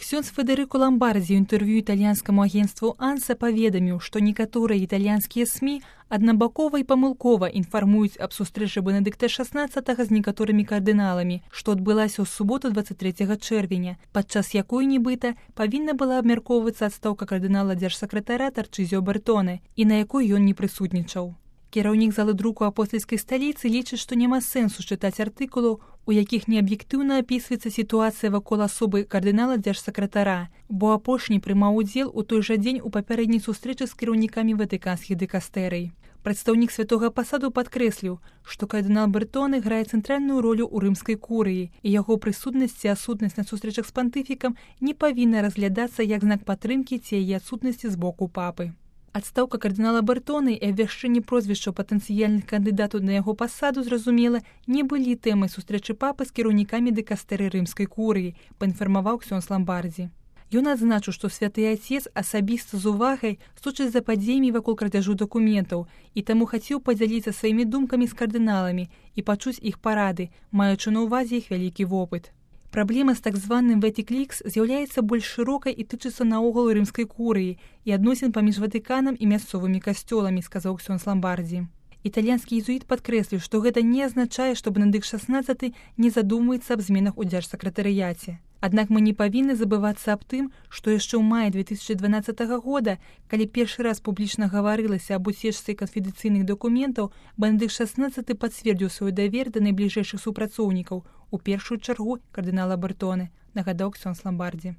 Ксёндз Федэрыка Ламбардзі ў інтэрв'ю італьянскаму агенцтву «Анса» паведаміў, што некаторыя італьянскія СМІ аднабакова і памылкова інфармуюць аб сустрэчы Бенедыкта XVI з некаторымі кардыналамі, што адбылася ў суботу 23 чэрвеня, падчас якой, нібыта, павінна была абмяркоўвацца адстаўка кардынала дзяржсакратара Тарчызіо Бертоне, і на якой ён не прысутнічаў. Кіраўнік залы друку апостальскай сталіцы лічыць, што няма сэнсу чытаць артыкулаў, у якіх неаб'ектыўна апісваецца сітуацыя вакол асобы кардынала дзяржсакратара, бо апошні прымаў удзел у той жа дзень у папярэдняй сустрэчы з кіраўнікамі ватыканскіх дыкастэрый. Прадстаўнік святога пасаду падкрэсліў, што кардынал Бертоне грае цэнтральную ролю ў рымскай курыі, і яго прысутнасць ці адсутнасць на сустрэчах з пантыфікам не павінна разглядацца як знак падтрымкі ці яе адсутнасці з боку папы. Адстаўка кардынала Бертоне і абвяшчэнне прозвішчаў патэнцыяльных кандыдатаў на яго пасаду, зразумела, не былі тэмай сустрэчы папы з кіраўнікамі дыкастэры рымскай курыі, паінфармаваў Ксёндз Ламбардзі. Ён адзначыў, што святы Ацец асабіста з увагай сочыць за падзеямі вакол крадзяжу дакументаў і таму хацеў падзяліцца сваімі думкамі з кардыналамі і пачуць іх парады, маючы на ўвазе іх вялікі вопыт. Праблема з так званым Ватыклікс з'яўляецца больш шырокай і тычыцца наогул рымскай курыі і адносін паміж Ватыканам і мясцовымі касцёламі, сказаў Ксёндз Ламбардзі. Італьянскі езуіт падкрэсліў, што гэта не азначае, што Бенедыкт XVI не задумваецца аб зменах у дзяржсакратарыяце. Аднак мы не павінны забывацца аб тым, што яшчэ ў маі 2012 года, калі першы раз публічна гаварылася аб уцечцы канфідэнцыйных дакументаў, Бенедыкт XVI пацвердзіў свой давер да найбліжэйшых супрацоўнікаў, у першую чаргу кардынала Бертоне, нагадаў Ксёндз Ламбардзі.